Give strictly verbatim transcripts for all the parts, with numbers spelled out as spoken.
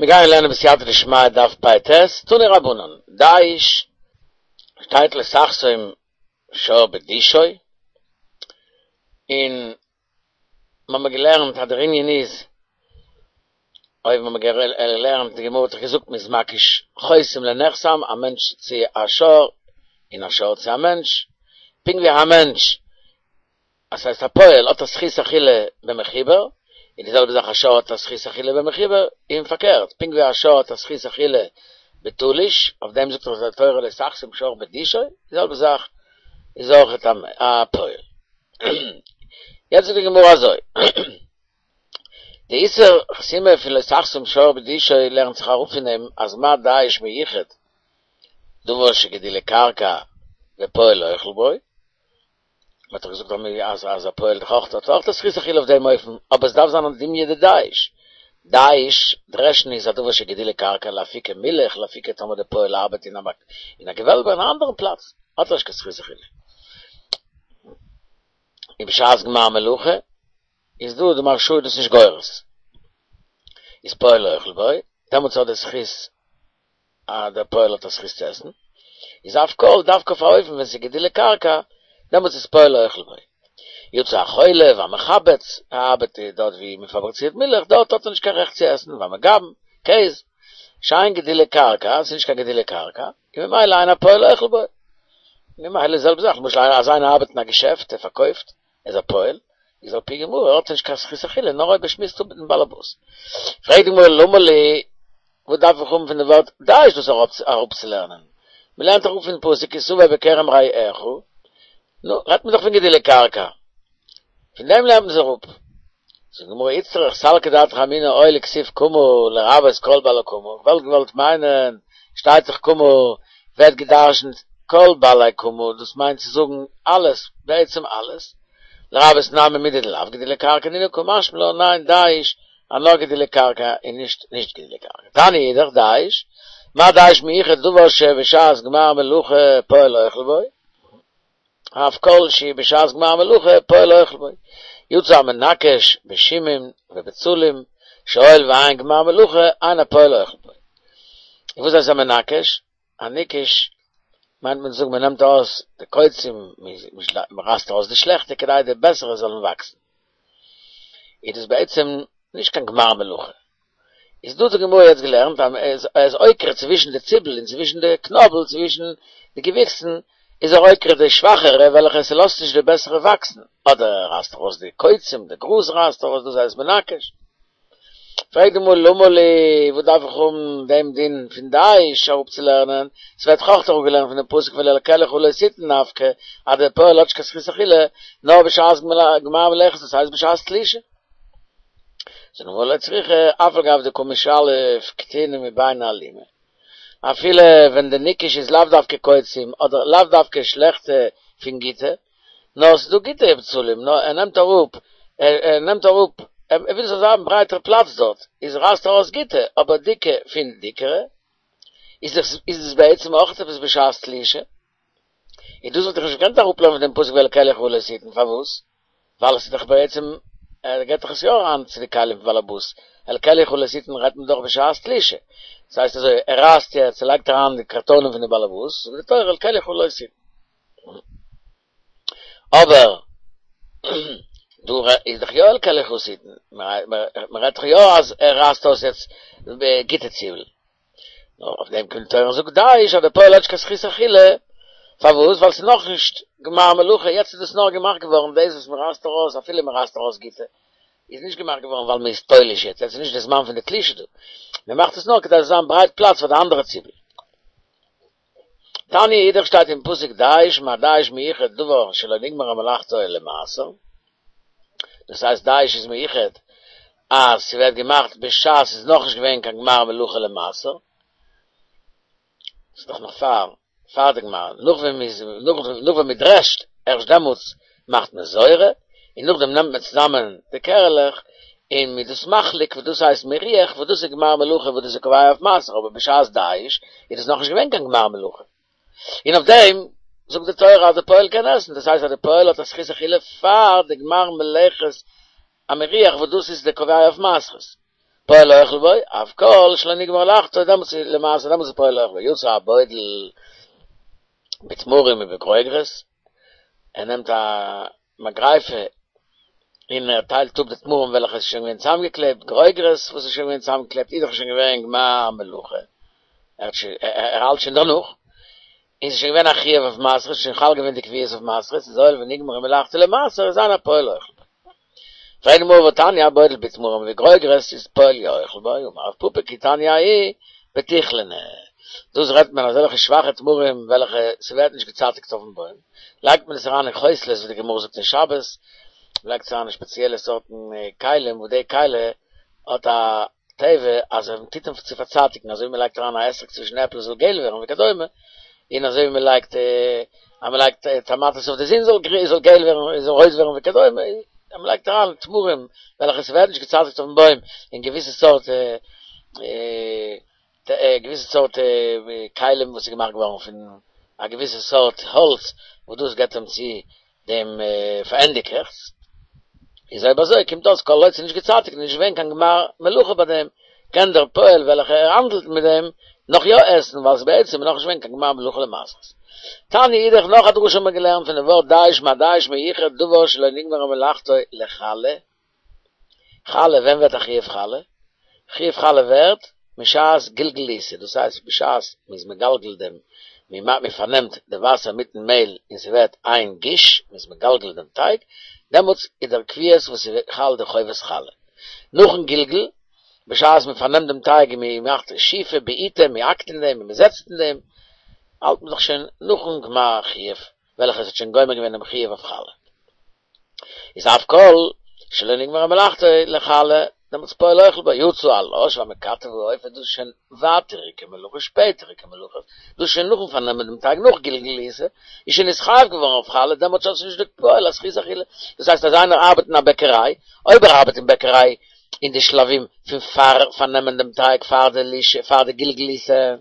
מיר גייען לערנען בסייעתא דשמיא דף פ"ט, תנו רבנן, דיש, שטייט לא תחסום שור בדישו, און מ'האמיר געלערנט אז דער ענין איז, אויב מ'האמיר געלערנט, די גמרא האט דאך געזאגט מ'איז מקיש חוסם לנחסם, א מענטש צו א שור, און א שור צו א מענטש, פונקט ווי א מענטש אז ס'הייסט א פועל האט א זכות אכילה במחובר, און די זעלבע זאך א שור האט א זכות אכילה במחובר, און פארקערט, פונקט ווי א שור האט א זכות אכילה בתלוש, אויף דעם זאגט דאך די תורה לא תחסום שור בדישו, די זעלבע זאך איז אויך א פועל. יעצט זאגט די גמרא אזוי, די איסור חסימה פון לא תחסום שור בדישו לערנט זיך אראפ פון דעם אז מה דיש מיוחד דבר שגידולי קרקע ופועל אוכל בו, מען האט דאך געזאגט אז אז א פועל דאך אויך האט אויך די זכות אכילה אויף דעם אופן, אבער עס דארף זיין א דומיא דדיש. דיש, דרעשן איז א דבר שגידולי קרקע, לאפוקי מילך, לאפוקי טאמער די פועל ארבעט אין א אין א געוועלבע אין א אנדערן פלאץ, האט ער נישט קיין זכות אכילה. און בשעת גמר מלאכה איז דא די מהרש"א איז דאס נישט גורס. איז פועל אוכל בו, דעמאלטס האט די זכות אז דער פועל האט א זכות צו עסן, איז אף כל דווקא אויף א אופן ווען ס'איז גידולי קרקע, דעמאלטס איז פועל אוכל בו. יצא החולב והמחבץ, ער ארבעט דארט ווי מען פאבריצירט מילך, דארט האט ער נישט קיין רעכט צו עסן, והמגבן, קעז, שאין גידולי קרקע, ס'איז נישט קיין גידולי קרקע, און ממילא אין הפועל אוכל בו. ממילא די זעלבע זאך, למשל אז איינער ארבעט אין א געשעפט, ער פארקויפט, ער איז א פועל, איז על פי גמרא האט ער נישט קיין זכות אכילה נאר אויב ער שמועסט אפ מיטן באלעבאס. פרעגט די גמרא למה לי, וואס דארף איך האבן פון די ווארט דיש דאס אראפצולערנען? מען לערנט דאך אפ פון פסוק כי תבוא בכרם רעך, נו, רעדט מען דאך פון גידולי קרקע, פון דעם לערנט מען עס אראפ. זאגט די גמרא איצטריך סלקא דעתך אמינא אוי לכתיב קמה לרבות כל בעלי קמה, איך וואלט געוואלט מיינען, שטייט דאך קמה ווערט גע'דרש'נט כל בעלי קמה, דאס מיינט צו זאגן אלעס, בעצם אלעס, לרבות נמי מידי דלאו גידולי קרקע נינהו קא משמע לן ניין דיש אז נאר גידולי קרקע און נישט נישט גידולי קרקע. תניא אידך דיש, מה דיש מיוחד דבר שבשעת גמר מלאכה פועל אוכל בו, אף כל שהוא בשעת גמר מלאכה פועל אוכל בו. יצא המנכש בשימים ובצלים, שהואיל ואין גמר מלאכה אין הפועל אוכל בו. און וואס הייסט א מנכש? א ניקוש מיינט מען צו זאגן מען נעמט ארויס די קוצים, מען רייסט ארויס די שלעכטע כדי די בעסערע זאלן וואקסן. איז דאס בעצם נישט קיין גמר מלאכה. איז דא האט די גמרא יעצט געלערנט אז ער איז עוקר צווישן די ציבל און צווישן די קנאבל, צווישן די געוויקסן, איז ער עוקר די שוואכערע וועלכע ס'לאזט נישט די בעסערע וואקסן, אדער ער רייסט ארויס די קוצים, די גראז רייסט ארויס, דאס הייסט מנכש. פרעגט די גמרא למה לי, וואס דארף איך האבן דעם דין פון דיש אראפצולערנען, ס'ווערט דאך אויך אראפגעלערנט פון דעם פסוק ואל כליך לא תתן נפקא, אז דער פועל האט נישט קיין זכות אכילה, נאר בשעת גמר מלאכת, דאס הייסט בשעת תלישה. זאגט די גמרא לא צריכא, אף על גב דקא משלף קטיני מביני אלימא, אפילו ווען די ניקוש איז לאו דווקא קוצים אדער לאו דווקא שלעכטע פון גוטע, נאר ס'איז דא גוטע בצלים, נאר ער נעמט אראפ, ער נעמט אראפ, ער וויל ס'זאל זיין ברייטער פלאץ דארט, איז רייסט ער ארויס גוטע, אבער דיקע פון דיקערע, איז דאס בעצם אויך עפעס בשעת תלישה. און דאס וואלט איך נישט געקענט אראפלערנען פון דעם פסוק ואל כליך לא תתן, פארוואס? ווייל עס איז דאך בעצם, ער געבט דאך עס יא אריין צו די כלים פון באלעבאס, אל כליך לא תתן רעדט מען דאך בשעת תלישה, דאס הייסט אזוי, ער רייסט יעצט, ער לייגט אריין די קארטאנען פון די באלעבאס, זאגט די תורה אל כליך לא תתן. אבער דא איז דאך יא אל כליך תתן, מען רעדט דאך יא אז ער רייסט אויס יעצט גוטע ציבל, נאר אויף דעם קומט די תורה און זאגט דיש אז דער פועל האט נישט קיין זכות אכילה, פארוואס? ווייל ס'איז נאכנישט גמר מלאכה, יעצט איז דאס נאר געמאכט געווארן דאס וואס מ'רייסט ארויס, אפילו מ'רייסט ארויס גוטע, איז נישט געמאכט געווארן ווייל מ'איז תולש יעצט, יעצט איז נישט די זמן פון די תלישה דא, מ'מאכט עס נאר כדי עס זאל זיין ברייט פלאץ פאר די אנדערע ציבל. תניא אידך שטייט אין פסוק דיש מה דיש מיוחד דבר שלא נגמרה מלאכתו למעשר, דאס הייסט דיש איז מיוחד אז ס'ווערט געמאכט בשעת ס'איז נאכנישט געווען קיין גמר מלאכה למעשר, ס'איז דאך נאך פאר פאר די גמר, נאך ווען מ'איז נאך ווען מ'דרעשט, ערשט דעמאלטס מאכט מען זורה, און נאכדעם נעמט מען צוזאמען די קערעלעך און מ'איז דאס מחליק וואס דאס הייסט מריח וואס דאס איז גמר מלאכה וואס דאס איז קובע אויף מעשר אבער בשעת דיש איז דאס נאכנישט געווען קיין גמר מלאכה און אויף דעם זאגט די תורה אז די פועל קען עסן דאס הייסט אז די פועל האט א זכות אכילה פאר די גמר מלאכת המריח וואס דאס איז די קובע אויף מעשרות. פועל אוכל בו, אף כל שלא נגמרה מלאכתו, דעמאלטס איז למעשר, דעמאלטס איז פועל אוכל בו. יצא הבודל בתמרים ובגרוגרות, ער נעמט א מגריפה און ער טיילט אפ די תמרים וועלכע איז שוין געווען צוזאמגעקלעבט, גרוגרות וואס איז שוין געווען צוזאמגעקלעבט איז דאך שוין געווען גמר מלאכה, ער האט שוין, ער האלט שוין דערנאך, און ס'איז שוין געווען א חיוב אויף מעשרות, שוין חל געווען די קביעות אויף מעשרות, איז הואיל ונגמרה מלאכתו למעשר איז אין הפועל אוכל בו. פרעגט די גמרא והתניא הבודל בתמרים ובגרוגרות איז פועל אוכל בו, אמר רב פפא כי תניא ההיא בטיכלינא. דאס רעדט מען אזעלכע שוואכע תמרים וועלכע ס'ווערט נישט געצייטיגט אויפן בוים, לייגט מען עס אריין אין כוסלות ווי די גמרא זאגט אין שבת, מ'לייגט עס אריין אין שפעציעלע סארטן כלים וואס די כלי האט א טבע אז ווען מ'טוט אים צו פארצייטיגן אזוי ווי מ'לייגט אריין א אתרוג צווישן עפל עס זאל געל ווערן וכדומה, און אזוי ווי מ'לייגט אז מ'לייגט טאמאטעס אויף די זון זאל זאל געל ווערן זאל רויט ווערן וכדומה, אז מ'לייגט אריין תמרים וועלכע ס'ווערט נישט געצייטיגט אויפן בוים אין געוויסע סארט געוויסע סארט כלים וואס איז געמאכט געווארן פון א געוויסע סארט האלץ וואס דאס געבט אים צו דעם פארענדיגעכץ, איז אויב אזוי קומט אויס כל עוד ס'איז נישט געצייטיגט און נישט געווען קיין גמר מלאכה ביי דעם, קען דער פועל וועלכע ער האנדלט מיט דעם נאך יא עסן ווייל ס'איז בעצם נאך נישט געווען קיין גמר מלאכה למעשרות. תניא אידך נאך א דרשה האט מען געלערנט פון דעם ווארט דיש מה דיש מיוחד דבר שלא נגמרה מלאכתו לחלה, חלה, ווען ווערט א חיוב חלה? חיוב חלה ווערט משעת גלגול ליסה, דאס הייסט בשעת מ'איז מגלגל דעם, מ'פארנעמט די וואסער מיטן מעהל און ס'ווערט איין גוש, מ'איז מגלגל דעם טייג, דעמאלטס איז דער קביעות וואס איז חל די חובת חלה. נאכן גלגול, בשעת מ'פארנעמט דעם טייג און מ'מאכט שיפה, בעיטה, מ'האקט אין דעם און מ'זעצט אין דעם, האלט מען דאך שוין נאכן גמר חיוב, וועלכעס האט שוין גומר געווען דעם חיוב אויף חלה. איז אף כל שלא נגמרה מלאכתו לחלה, דעמאלטס פועל אוכל בו, יצא הלש והמקטף והאופה, דאס איז שוין ווייטעריגע מלאכה, שפעטעריגע מלאכה, דאס איז שוין נאכן פארנעמען דעם טייג נאך גלגול ליסה, איז שוין נתחייב געווארן אויף חלה, דעמאלטס האט שוין נישט די פועל א זכות אכילה, דאס הייסט אז איינער ארבעט אין א בעקעריי, אויב ער ארבעט אין בעקעריי אין די שלבים פון פאר פארנעמען דעם טייג פאר די לישה פאר די גלגול ליסה,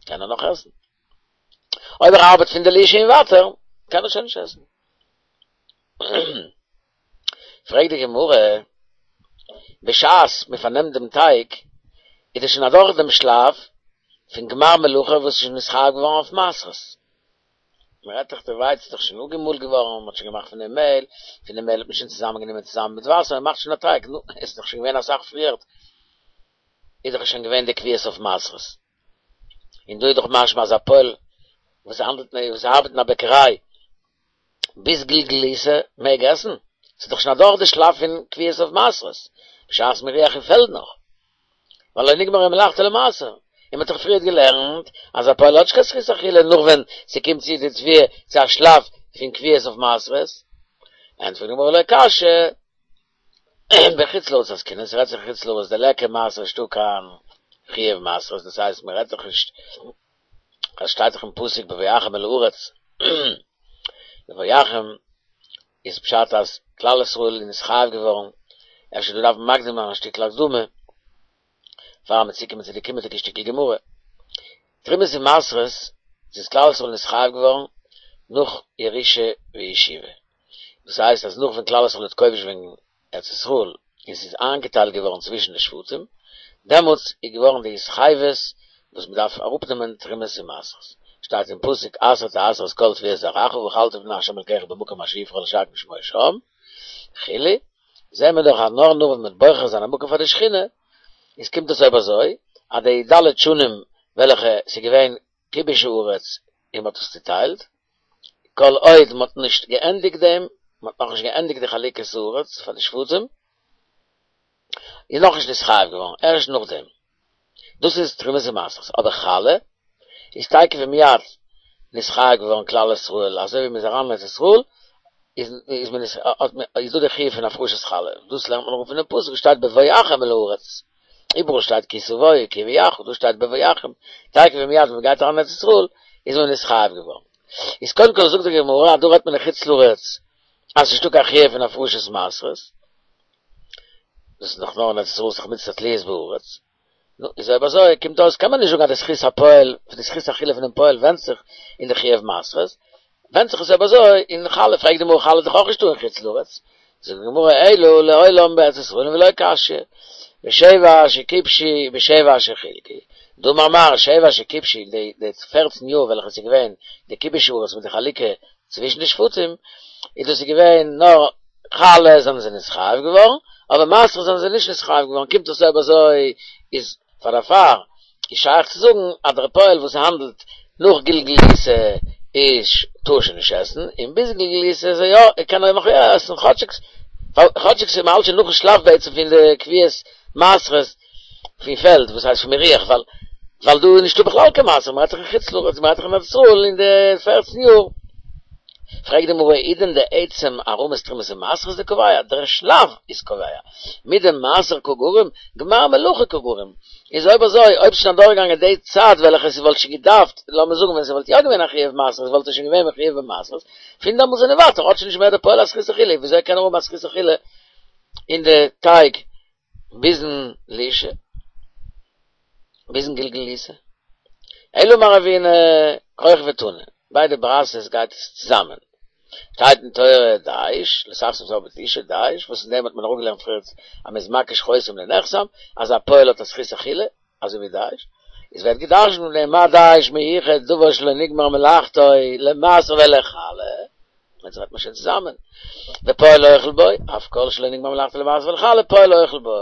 קען ער נאך עסן. אויב ער ארבעט פון די לישה און ווייטער, קען ער שוין נישט עסן. פרעגט די גמרא, בשעת מען פארנעמט דעם טייג, איז דאס שוין אדורך דעם שלב פון גמר מלאכה וואס איז שוין נתחייב געווארן אויף מעשרות. מען רעדט דאך די ווייץ איז דאך שוין אפגעמאלט געווארן, מען האט שוין געמאכט פון דעם מעהל, פון דעם מעהל האט מען שוין צוזאמען גענומען צוזאמען מיט וואסער, מען מאכט שוין א טייג, נו, עס איז דאך שוין געווען אסאך פריערט, איז דאך שוין געווען די קביעות אויף מעשרות. און דא איז דאך משמע אז א פועל וואס האנדלט וואס ארבעט אין א בעקעריי ביז גלגול ליסה מעג עסן, ס'איז דאך שוין אדורך די שלב פון קביעות אויף מעשרות, בשעת מריח אין פעלד נאך, ווייל לא נגמרה מלאכתו למעשר, און מ'האט דאך פריערט געלערנט אז א פועל האט נישט קיין זכות אכילה נאך ווען ס'קומט צו די תבואה צו א שלב פון קביעות אויף מעשרות, ענטפערט די גמרא לא קשיא, בחוץ לארץ עסקינן, ס'רעדט זיך אין חוץ לארץ דליכא מעשר נישטא קיין חיוב מעשרות, דאס הייסט מ'רעדט דאך נישט עס שטייט דאך אין פסוק בבואכם אל הארץ, בבואכם איז פשט אז כלל ישראל איז נתחייב געווארן, אפשר דא דארף מען מקדים זיין א שטיקל הקדמה פאר מיר צוקומען צו די קומענדיגע שטיקל גמרא. תרומות און מעשרות איז כלל ישראל נתחייב געווארן נאך ירושה וישיבה, דאס הייסט אז נאך ווען כלל ישראל האט כובש געווען ארץ ישראל און ס'איז איינגעטיילט געווארן צווישן די שבטים, דעמאלטס איז געווארן די התחייבות וואס מען דארף אראפנעמען תרומות און מעשרות, שטייט אין פסוק עשר תעשר את כל תבואת זרעך ואכלת לפני ה' אלקיך במקום אשר יבחר לשכן שמו שם וכו', זעהן מיר דאך אז נאר נאך ווען מ'וועט בוחר זיין א מקום פאר די שכינה, איז קומט עס אויב אזוי אז די ד' שנים וועלכע ס'איז געווען כיבוש הארץ און מ'האט עס צוטיילט, כל עוד מ'האט נישט געענדיגט דעם, מ'האט נאכנישט געענדיגט די חלוקת הארץ פאר די שבטים, איז נאכנישט נתחייב געווארן, ערשט נאכדעם. דאס איז תרומות ומעשרות. אבער חלה איז תיכף ומיד נתחייב געווארן כלל ישראל, אזוי ווי מ'איז אריין אין ארץ ישראל, איז איז מען האט מען איז דא די חיוב פון הפרשת חלה, דאס לערנט מען אראפ פונעם פסוק וואס שטייט בבואכם אל הארץ, איבעראל שטייט כי תבואו כי יביאך, דא שטייט בבואכם, תיכף ומיד ווען מ'גייט אריין אין ארץ ישראל איז מען נתחייב געווארן. איז קודם כל זאגט די גמרא אז דא רעדט מען אין חוץ לארץ אז ס'נישטא קיין חיוב פון הפרשת מעשרות, דאס איז דאך נאר אין ארץ ישראל ס'איז דאך מצוה תלויות בארץ, נו, איז אויב אזוי קומט אויס קען מען נישט זאגן אז די זכות הפועל, די זכות אכילה פונעם פועל ווענדט זיך אין די חיוב מעשרות, ווענדט זיך עס אויב אזוי אין חלה, פרעגט די גמרא חלה איז דאך אויך נישטא אין חוץ לארץ, זאגט די גמרא אלא לעולם בארץ ישראל ולא קשיא, בשבע שכבשו בשבע שחלקו. דאמר מר שבע שכבשו די די פֿערצן יאר וועלכע ס'איז געווען די כיבוש הארץ מיט די חלוקה צווישן די שבטים, איז דאס איז געווען נאר חלה זענען זיי נתחייב געווארן, אבער מעשרות זענען זיי נישט נתחייב געווארן, קומט אויס אויב אזוי איז פאר דערפאר איז שייך צו זאגן אז דער פועל וואס האנדלט נאך גלגול עיסה איז טאר שוין נישט עסן, און ביז גלגול עיסה איז ער יא, ער קען נאך יא עסן, כאטשיג כאטשיג ס'איז מ'האלט שוין נאכן שלב בעצם פון די קביעת מעשרות פון פעלד, וואס הייסט פון מירוח, ווייל ווייל דא איז נישטא בכלל קיין מעשר, מ'רעדט דאך אין חוץ לארץ, מ'רעדט דאך אין ארץ ישראל אין די פֿערצן יאר. פרעגט די גמרא, עידן דעצם הערמת תרומות ומעשרות דקובע, דער שלב איז קובע, מדמעשר קא גרים, גמר מלאכה קא גרים, איז אויב אזוי, אויב ס'שוין אדורכגעגאנגען די צייט וועלכע ס'וואלט שוין געדארפט, לאמיר זאגן ווען ס'וואלט יא געווען א חיוב מעשרות וואלט ער שוין געווען מחויב במעשרות, פון דעמאלטס און ווייטער האט שוין נישט מער דער פועל א זכות אכילה, וויאזוי קען ער האבן א זכות אכילה אין די טייג ביזן לישה? ביזן גלגול עיסה? אלא אמר רבינא כרך ותנא, ביידע ברייתות גייט עס צוזאמען. שטייט אין תורה דיש, לא תחשוף זר בתלוש דיש, וואס אין דעם האט מען אראפגעלערנט פריער אז מ'איז מקיש חותם לנחתם, אז א פועל האט א זכות אכילה, אזוי ווי דיש, איז ווערט גע'דרש'נט פון דעם מה דיש מיוחד דבר שלא נגמר מלאכתו למעשר ולחלה, יעצט רעדט מען שוין צוזאמען, ופועל אוכל בו, אף כל שלא נגמר מלאכתו למעשר ולחלה פועל אוכל בו.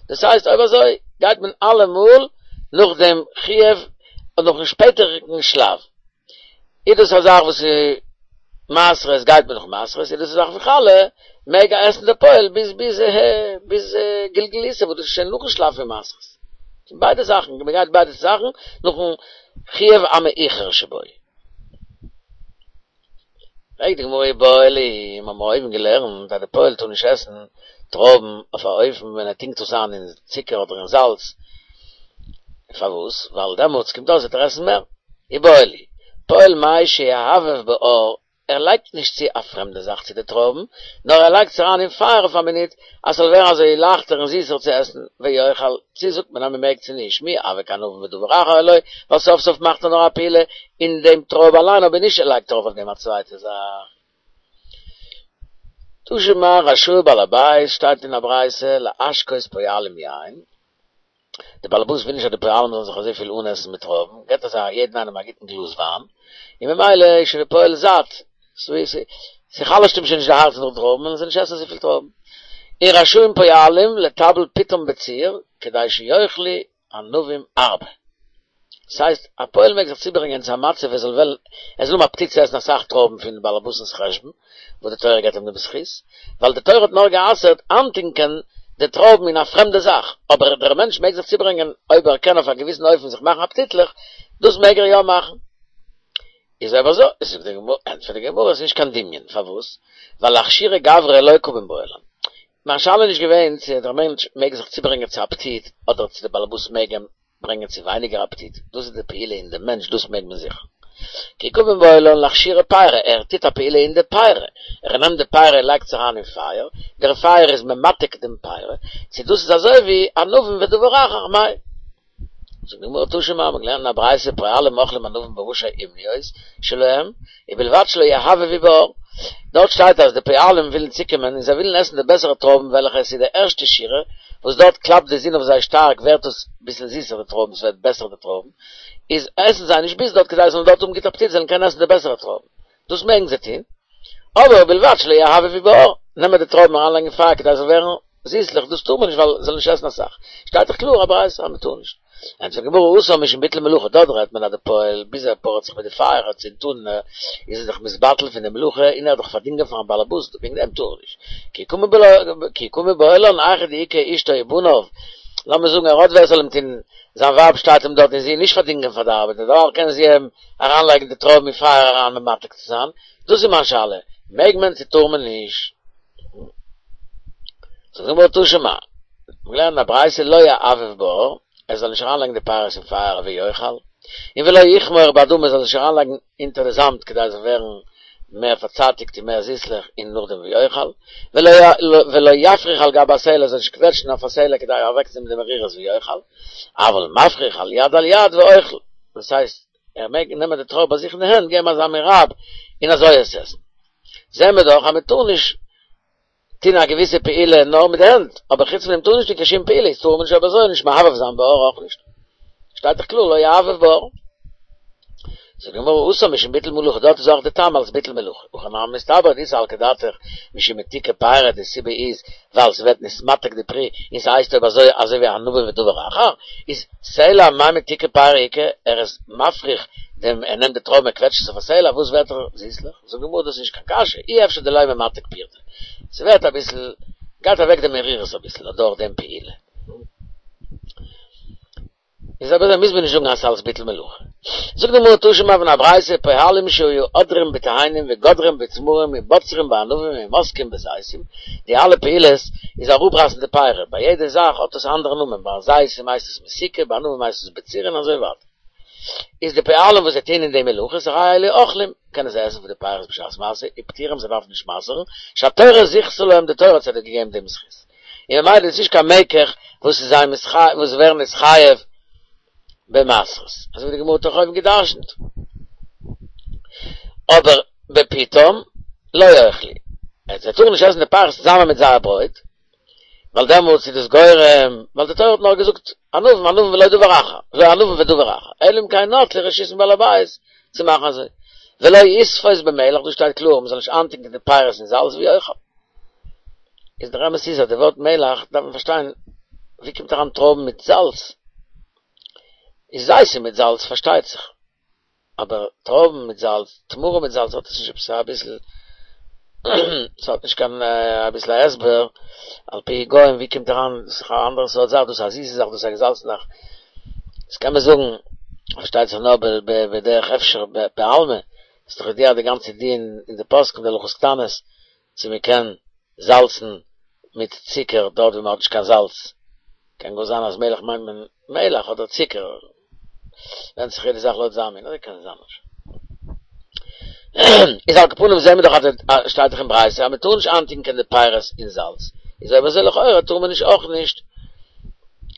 דאס הייסט אויב אזוי גייט מען אלעמאל נאך דעם חיוב און נאכן שפעטעריגן שלב. איז דאס א זאך וואס איז מעשרות גייט מען נאך מעשרות, איז דאס א זאך פון חלה מעג ער עסן די פועל ביז ביז ביז גלגול עיסה וואס דאס איז שוין נאכן שלב פון מעשרות. ביידע זאכן, מען גייט ביידע זאכן נאכן חיוב המאוחר שבו. פרעגט די גמרא איבעיא להו, מיר האבן אויבן געלערנט אז די פועל טאר נישט עסן טרויבן אויף א אופן ווען ער טונקט עס איין אין צוקער אדער אין זאלץ, פארוואס? ווייל דעמאלטס קומט אויס וועט ער עסן מער. איבעיא להו, פועל מהו שיהבב באור, ער לייגט נישט צו א פרעמדע זאך צו די טרויבן, נאר ער לייגט עס אריין אין פייער אויף א מינוט אז ס'זאל ווערן אזוי לייכטער און זיסער צו עסן, ויאכל, צו זאגט מען אז מ'מעג צו נישט, מי הוי כענבים ודבר אחר או לא, ווייל סוף סוף מאכט ער נאר א פעולה אין דעם טרויב אליין אבער נישט ער לייגט ארויף אויף דעם א צווייטע זאך. תא שמע רשאי בעל הבית שטייט אין א ברייתא להשקות פועלים יין, די באלעבאס וויל נישט אז די פועלים זאלן זיך אזויפיל אנעסן מיט טרויבן, געבט ער זיי יעדן איינעם א גוטן גלאז וויין, און ממילא איז שוין די פועל זאט, ס'חלש'ט אים שוין נישט די הארץ נאך טרויבן, וועלן זיי נישט עסן אזויפיל טרויבן. און רשאים פועלים לטבל פיתם בציר, כדי שיאכלו ענבים הרבה. ס'הייסט, א פועל מעג זיך צוברענגען צו א מצב ער זאל וועלן, ער זאל האבן אפעטיט צו עסן אסאך טרויבן פון באלעבאס'נס חשבון, וואס די תורה געבט אים דעם זכות, ווייל די תורה האט נאר גע'אסר'ט איינטונקען די טרויבן אין א פרעמדע זאך, אבער דער מענטש מעג זיך צוברענגען אויב ער קען אויף א געוויסן אופן זיך מאכן אפעטיטליך, דאס מעג ער יא מאכן. איז אויב אזוי, זאגט די גמרא, ענטפערט די גמרא, עס איז נישט קיין דמיון, פארוואס? ווייל לאכשורי גברא לא קא מיבעיא לן. מיין שאלה איז נישט געווען צו דער מענטש מעג זיך צוברענגען צו אפעטיט, אדער צו דער באלעבאס מעג אים ברענגען צו ווייניגער אפעטיט, דאס איז די פעולה אין די מענטש, דאס מעג מען זיכער. כי קא מיבעיא לן לאכשורי פירי, ער טוט א פעולה אין די פירי, ער נעמט די פירי און לייגט עס אריין אין פייער, דער פייער איז ממתק דעם פירי, צו דאס איז אזוי ווי ענבים ודבר אחר, מאי. זאגט די גמרא תא שמע, מ'האט געלערנט אין א ברייתא פועלים אוכלים ענבים בראשי אומניות שלהם, ובלבד שלא יהבבו באור. דארט שטייט אז די פועלים ווילן צוקומען און זיי ווילן עסן די בעסערע טרויבן וועלכע עס איז די ערשטע שורה, וואס דארט קלאפט די זון אויף זיי שטארק ווערט עס ביסל זיסער די טרויבן, ס'ווערט בעסער די טרויבן, איז עסן זיי נישט ביז דארט כדי זיי זאלן דארט האבן גוט אפעטיט זיי זאלן קענען עסן די בעסערע טרויבן. דאס מעגן זיי טון, אבער ובלבד שלא יהבבו באור, נעמען די טרויבן אריינלייגן אין פייער כדי עס זאל ווערן זיסלעך, דאס טאר מען נישט ווייל זאל נישט עסן אסאך, שטייט דאך קלאר א ברייתא אז מען טאר נישט. ענטפערט די גמרא התם משום ביטול מלאכה, דארט רעדט מען אז די פועל ביז ער פארעט זיך מיט די פייער ער צינדט אן איז ער דאך מתבטל פון די מלאכה און ער האט דאך פארדינגען פארן באלעבאס וועגן דעם טאר ער נישט, כי קא מיבעיא לן היכא דאיכא אשתו ובניו, לאמיר זאגן ער האט ווער ס'זאל אים טון, זיין ווייב שטייט אים דארט און זי איז נישט פארדינגען פאר די ארבעט, דערווייל קען זי אים אריינלייגן די טרויבן אין פייער אריין ממתק צו זיין, דאס איז מיין שאלה, מעג מען צו טאר מען נישט? זאגט די גמרא תא שמע, מיר געלערנט אין א ברייתא לא יהבב באור, ער זאל נישט אריינלייגן די פירות אין פייער ויאכל, און ולא יכמור באדמה ער זאל נישט אריינלייגן אונטער די זאמד כדי עס זאל ווערן מער פארצייטיגט און מער זיסלעך און נאכדעם ויאכל, ולא יפריך על גבי הסלע ער זאל נישט קוועטשן אויף א סלע כדי אוועקצונעמען די מרירות ויאכל, אבל מפריך על יד על יד ואוכל, דאס הייסט ער מעג נעמען די טרויב ביי זיך אין די הענט געבן אזא מין רייב און אזוי עס עסן. זעהן מיר דאך אז מען טאר נישט טון א געוויסע פעולה נאר מיט די הענט, אבער חוץ פון דעם טאר נישט טון קיין שום פעולה, איז טאר מען נישט אויב אזוי נישט מהבהב זיין בהר אויך נישט. שטייט דאך קלאר לא יהבהב בהר. זאגט די גמרא התם משום ביטול מלאכה, דארט איז אויך די טעם אלס ביטול מלאכה, הכא נמי מסתברא דאי סלקא דעתך משום מתיקה פירי, די סיבה איז ווייל ס'ווערט נתמתק די פרי און ס'הייסט אויב אזוי אזוי ווי ענבים ודבר אחר, איז סלע מאי מתיקה פירי איכא, ער איז מפריך דעם ער נעמט די טרויבן ער קוועטשט עס אויף א סלע וואס ווערט ער זיסלעך, זאגט די גמרא דאס איז נישט קיין קשיא, אי אפשר דלא ממתק פירתא, ס'ווערט אביסל, גייט אוועק די מרירות אביסל אדורך דעם פעולה. איז אויב אזוי מוז מען נישט זאגן אז ס'אלס ביטול מלאכה. זאגט די גמרא תא שמע פון א ברייתא פועלים שהיו עודרים בתאנים וגודרים בתמרים ובוצרים בענבים ומוסקים בזיתים, די אלע פעולות איז אראפרייסן די פירות, ביי יעדע זאך האט עס א אנדערע נאמען, ביי זיתים הייסט עס מסיקה, ביי ענבים הייסט עס בצירה און אזוי ווייטער. איז די פועלים וואס זיי טוען אין די מלאכות הרי אלו אוכלים, קענען זיי עסן פון די פירות בשעת מעשה, ופטורים זיי דארפן נישט מעשר'ן, שהתורה זיכתה להם די תורה האט זיי געגעבן דעם זכות. און ממילא איז נישט קיין מקח וואס איז זיי וואס ווערן נתחייב במעשרות, אזוי ווי די גמרא האט אויך אויבן גע'דרש'נט. אבער בפיתם לא יאכלו, זיי טארן נישט עסן די פירות צוזאמען מיט זייער ברויט, ווייל דעמאלטס איז דאס גורם, ווייל די תורה האט נאר געזאגט ענבים ענבים ולא דבר אחר, לא ענבים ודבר אחר, אלא אם כן נטלו רשות מבעל הבית צו מאכן אזוי. ולא יספות במלח, דא שטייט קלאר מ'זאל נישט איינטונקען די פירות אין זאלץ ויאכל. איז דער אמת איז אז די ווארט מלח דארף מען פארשטיין ווי קומט אריין טרויבן מיט זאלץ? איז זיתים מיט זאלץ פארשטייט זיך, אבער טרויבן מיט זאלץ, תמרים מיט זאלץ האט עס נישט עפעס אביסל, ס'האט נישט קיין אביסל א הסבר, על פי היגיון ווי קומט אריין, דאס איז א אנדערע סארט זאך, דאס איז א זיסע זאך, דאס איז א געזאלצענע זאך, דאס קען מען זאגן, פארשטייט זיך נאר בדרך אפשר בעלמא, ס'איז דאך ידוע די גאנצע דין אין די פוסקים די הלכות קטנות, צו מען קען זאלצן מיט צוקער דארט ווי מען האט נישט קיין זאלץ, קען גאר זיין אז מלח מיינט מען מלח אדער צוקער, ווענדט זיך יעדע זאך לויט זיין מין, אזוי קען זיין אפשר. איז על כל פנים זעהן מיר דאך אז שטייט דאך אין ברייתא אז מען טאר נישט איינטונקען די פירות אין זאלץ, איז אויב אזוי לכאורה טאר מען נישט אויך נישט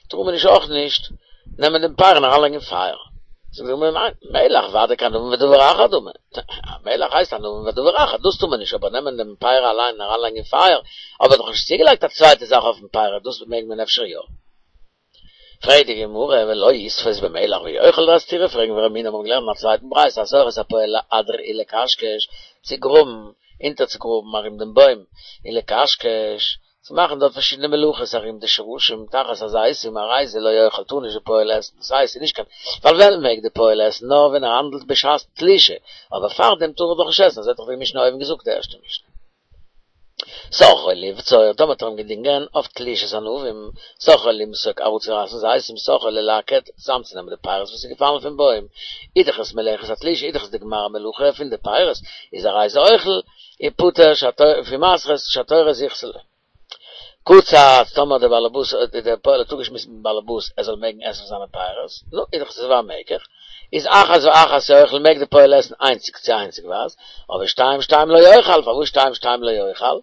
טאר מען נישט אויך נישט נעמען דעם פרי און אריינלייגן אין פייער. זאגט די גמרא ניין, מלח ודאי כענבים ודבר אחר דמי, מלח הייסט ענבים ודבר אחר, דאס טאר מען נישט, אבער נעמען דעם פרי אליין און אריינלייגן אין פייער, אבער דאך נישט צוגעלייגט א צווייטע זאך אויפן פרי, דאס מעג מען אפשר יא. פרעגט די גמרא ולא יספות במלח ויאכל א סתירה פרעגן ורמינהו מיר האבן געלערנט אין א צווייטן ברייתא השוכר את הפועל לאדיר ולקשקש צו גראבן אונטערצוגראבן ארום דעם בוים און לקשקש צו מאכן דארט פארשידענע מלאכות ארום די שרשים תחת הזיתים הרי זה לא יאכל טאר נישט די פועל עסן דאס הייסט ס'איז נישט קיין ווייל ווען מעג די פועל עסן נאר ווען ער האנדלט בשעת תלישה אבער פארדעם טאר ער דאך נישט עסן אזוי האט דאך די משנה אויבן געזאגט די ערשטע משנה. שכרו לבצור, טאמער האט ער אים געדינגען אויף תלישת ענבים, שכרו למסוק אראפצורייסן זיתים, שכרו ללקט, צוזאמצונעמען די פירות וואס איז געפאלן פון בוים, איז דאך עס מלאכת התלישה, איז דאך עס די גמר המלאכה פון די פירות, איז הרי זה אוכל, ופטור פון מעשרות שהתורה זיכתה לו. קצץ, טאמער דער באלעבאס, דער פועל האט אפגעשמועסט מיטן באלעבאס ער זאל מעגן עסן זיינע פירות, נו, איז דאך עס א מקח, איז אחת ואחת יאכל מעג די פועל עסן איינציג צו איינציגווייז, אבער שתיים שתיים לא יאכל, פארוואס שתיים שתיים לא יאכל?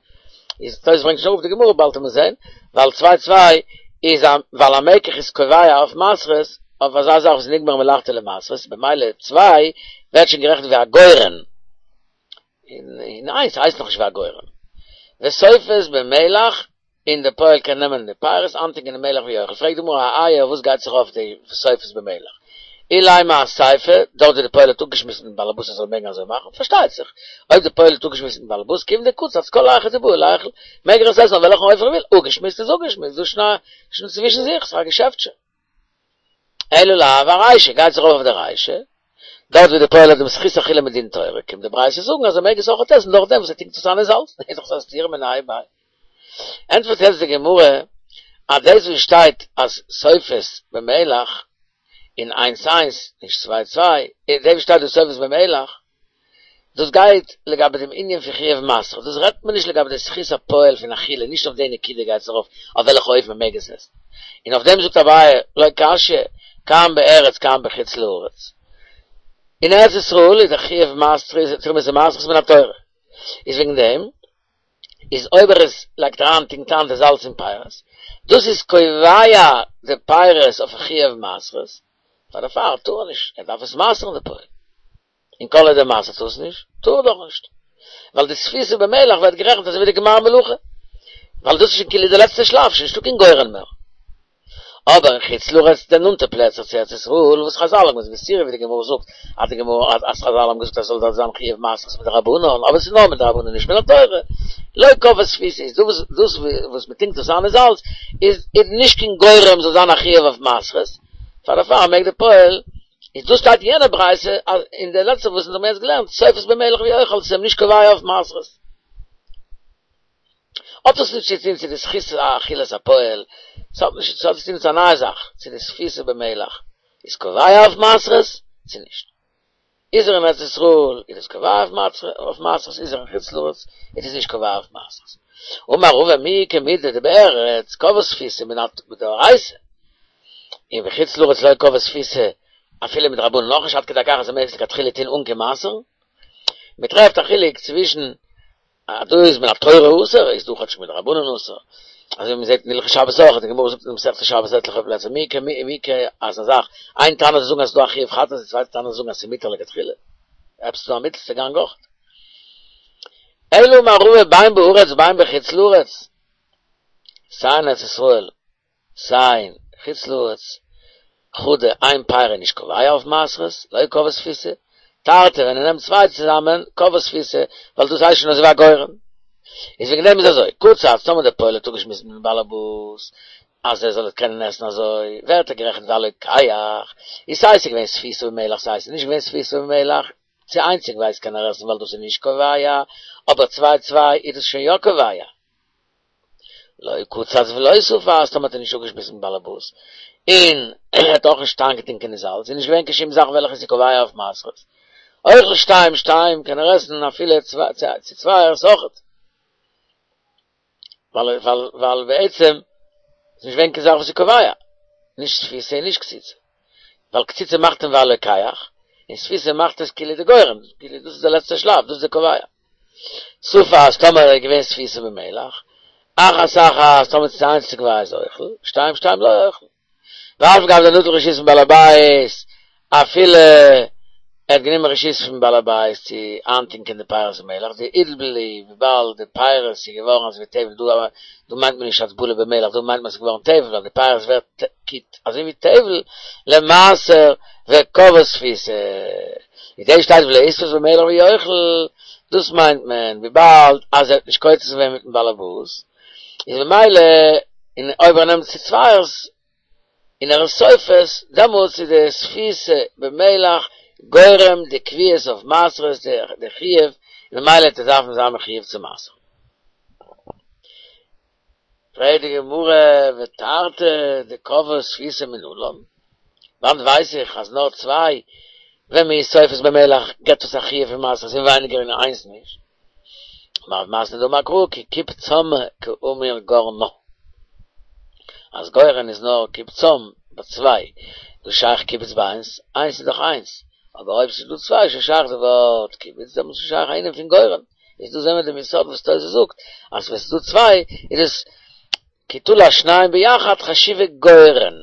איז תוס' ברענגט נישט אראפ די גמרא באלד וועט מען זען, ווייל צוויי צוויי איז א ווייל א מקח איז קובע אויף מעשרות, אויף אזא זאך וואס איז נגמר מלאכתו למעשרות, במילא צוויי ווערט שוין גערעכנט ווי א גורן, און איינס הייסט נאכנישט ווי א גורן. וסופת במלח און די פועל קען נעמען די פירות איינטונקען אין מלח ויאכל, פרעגט די גמרא אאיי וואס גייט זיך אויף די וסופת במלח? אילימא אסיפא, דארט ווי די פועל האט אפגעשמועסט מיטן באלעבאס ער זאל מעגן אזוי מאכן, פארשטייט זיך אויב די פועל האט אפגעשמועסט מיטן באלעבאס כיון דקצץ כל היכא דבעי ליכול, מעג ער עס עסן אויף וועלכן אופן ער וויל, אפגעשמועסט איז אפגעשמועסט, דאס שוין צווישן זיך, ס'איז א געשעפט שוין. אלא לאו ארישא, גייט זיך ארויף אויף די רישא, דארט ווי די פועל האט דעם זכות אכילה מדין תורה, קומט די ברייתא זאגן אז ער מעג עס אויכעט עסן דורך דעם וואס ער טונקט עס איין אין זאלץ, איז דאך א סתירה מיניה וביה. ענטפערט יעצט די גמרא אז דאס וואס שטייט אז סופת במלח און איינס איינס, נישט צוויי צוויי, דאס וואס שטייט דא סופת במלח, דאס גייט לגבי דעם ענין פון חיוב מעשר, דאס רעדט מען נישט לגבי די זכות הפועל פון אכילה, נישט אויף די נקודה גייט עס ארויף, אויף וועלכע אופן מען מעג עס עסן. און אויף דעם זאגט אביי, לא קשיא, כאן בארץ כאן בחוץ לארץ. אין ארץ ישראל איז דער חיוב מעשר, תרומות ומעשרות מן התורה. איז וועגן דעם, איז אויב ער איז לייגט אריין טונקט איין די זאלץ אין פירות, דאס איז קובע די פירות אויף א חיוב מעשרות, פאר דערפאר טאר ער נישט, ער דארף עס מעשר'ן די פועל. און כל עוד ער מעשר'ט עס נישט, טאר ער דאך נישט. ווייל די ספיתה במלח ווערט גערעכנט אזוי ווי די גמר מלאכה. ווייל דאס איז שוין כאילו די לעצטע שלב, שוין נישטא קיין גורן מער. אבער אין חוץ לארץ די נאנטע פלעצער צו ארץ ישראל וואס חזל האבן געזאגט בסתירה ווי די גמרא זאגט אז די גמרא אז חזל האבן געזאגט אז ס'זאל דארט זיין חיוב מעשרות מדרבנן אבער ס'איז נאר מדרבנן נישט מן התורה לא קבעה ספיסה איז דאס דאס וואס מ'טונקט דאס איין אין זאלץ איז איז נישט קיין גורם זאל זיין א חיוב אויף מעשרות פאר דערפאר מעג די פועל איז דאס שטייט אין יענע ברייתא אז אין די לעצטע וואס אונז האבן יעצט געלערנט סופת במלח ויאכל ס'איז אים נישט קובע אויף מעשרות. האט עס נישט צו טון צו די זכות אכילת הפועל, ס'האט נישט, ס'האט צו טון צו א נייע זאך, צו די ספיסה במלח איז קובע אויף מעשרות צו נישט. איז ער אין ארץ ישראל איז עס קובע אויף מעשרות, איז ער אין חוץ לארץ איז עס נישט קובע אויף מעשרות. אמר רבא מי איכא מידי דבארץ קבעה ספיסה מדאורייתא, און בחוץ לארץ לא קבעה ספיסה אפילו מדרבנן אויך נישט עד כדי כך אז ער מעג עס לכתחילה טון אן קיין מעשר. מ'טרעפט א חילוק צווישן אז דא איז מן התורה אסור, איז דא כאטש מדרבנן אסור. אזוי ווי מ'זעט אין הלכות שבת אויך, די גמרא זאגט אין מסכת שבת עטליכע פלעצער, מי איכא מי איכא אזא זאך, איין תנא זאל זאגן אז ס'איז דא א חיוב חטאת, די צווייטע תנא זאל זאגן אז ס'איז מותר לכתחילה. עפעס איז דא א מיטלסטע גאנג אויך. אלא אמר רבא בין בארץ בין בחוץ לארץ, סיי אין ארץ ישראל סיי אין חוץ לארץ, חדא איין פרי איז נישט קובע אויף מעשרות, לא קבעה ספיסה, תרתי ווען ער נעמט צוויי צוזאמען קבעה ספיסה, ווייל דאס הייסט שוין אזוי ווי א גורן. איז וועגן דעם איז אזוי, קצץ, טאמער דער פועל האט אפגעשמועסט מיטן באלעבאס אז ער זאל עס קענען עסן אזוי, ווערט ער גערעכנט ווי א לוקח, איז סיי ס'איז געווען ספיסה במלח סיי ס'איז נישט געווען ספיסה במלח, צו איינציגווייז קען ער עסן ווייל דאס איז נישט קובע, אבער צוויי צוויי איז דאס שוין יא קובע. לא קצץ ולא ספס, טאמער האט ער נישט אפגעשמועסט מיטן באלעבאס, און ער האט אויך נישט איינגעטונקען אין זאלץ, איז נישט געווען קיין שום זאך וועלכע איז קובע אויף מעשרות. אוכל שתיים שתיים קען ער עסן אפילו צו צווייערס אויכעט. ווייל ווייל בעצם איז נישט געווען קיין זאך וואס איז קובע, נישט ספיסה און נישט קציצה. ווייל קציצה מאכט אים ווי א לוקח, און ספיסה מאכט עס כאילו די גורן, כאילו דאס איז די לעצטע שלב, דאס איז די קובע. ספס טאמער איז געווען ספיסה במלח, אחת אחת טאמער ס'איז איינציגווייז אוכל, שתיים שתיים לא אוכל. ואף על גב דנטל רשות פון בעל הבית, אפילו ער האט גענומען רשות פון בעל הבית צו איינטונקען די פירות במלח, דאיטבלו וויבאלד די פירות איז געווארן אזוי ווי טבל, דא דא מיינט מען נישט הטבלה במלח, דא מיינט מען עס איז געווארן טבל, ווייל די פירות ווערט אזוי ווי טבל למעשר וקבעה ספיסה. איז דא שטייט ולא יספות במלח ויאכל, דאס מיינט מען וויבאלד אז ער האט נישט קוצץ געווען מיטן באלעבאס, איז ממילא און אויב ער נעמט צו צווייערס און ער איז סופס, דעמאלטס איז די ספיסה במלח גורם די קביעות אויף מעשרות די חיוב, און ממילא וועט ער דארפן זיין מחויב צו מעשר'ן. פרעגט די גמרא ותרתי דקבעה ספיסה מנלן, וואנעט ווייס איך אז נאר צוויי ווען מען איז סופס במלח געבט עס א חיוב פון מעשרות און ווייניגער און איינס נישט? אמר רב מתנה דאמר קרא כי קצפם קאמיר גרנא, אז גורן איז נאר קצפם ביי צוויי, וואס שייך קיבוץ ביי איינס? איינס איז דאך איינס, אבער אויב ס'איז דא צוויי איז שוין שייך די ווארט קיבוץ, דעמאלטס איז שייך א ענין פון גורן. איז דא זעהן מיר דעם יסוד וואס תוס' זאגט אז ווען ס'איז דא צוויי איז עס כי תלש שניים ביחד חשיבי גורן.